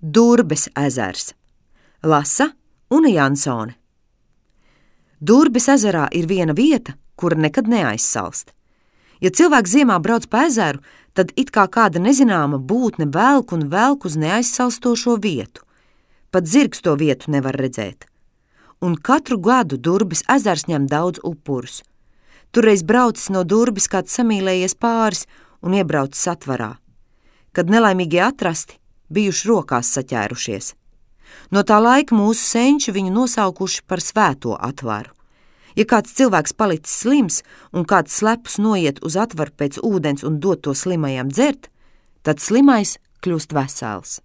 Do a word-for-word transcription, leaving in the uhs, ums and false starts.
Durbes ezers. Lasa Una Jansone. Durbes ezerā ir viena vieta, kura nekad neaizsalst. Ja cilvēks ziemā brauc pa ezeru, tad it kā kāda nezināma būtne velk un velk uz neaizsalstošo vietu. Pat zirgs to vietu nevar redzēt. Un katru gadu Durbes ezers ņem daudz upurus. Turreiz braucis no Durbes kāds samīlējies pāris un iebraucis atvarā. Kad nelaimīgie atrasti, bijuši rokās saķērušies. No tā laika mūsu senči viņu nosaukuši par svēto atvaru. Ja kāds cilvēks palicis slims un kāds slepus noiet uz atvaru pēc ūdens un dod to slimajam dzert, tad slimais kļūst vesels.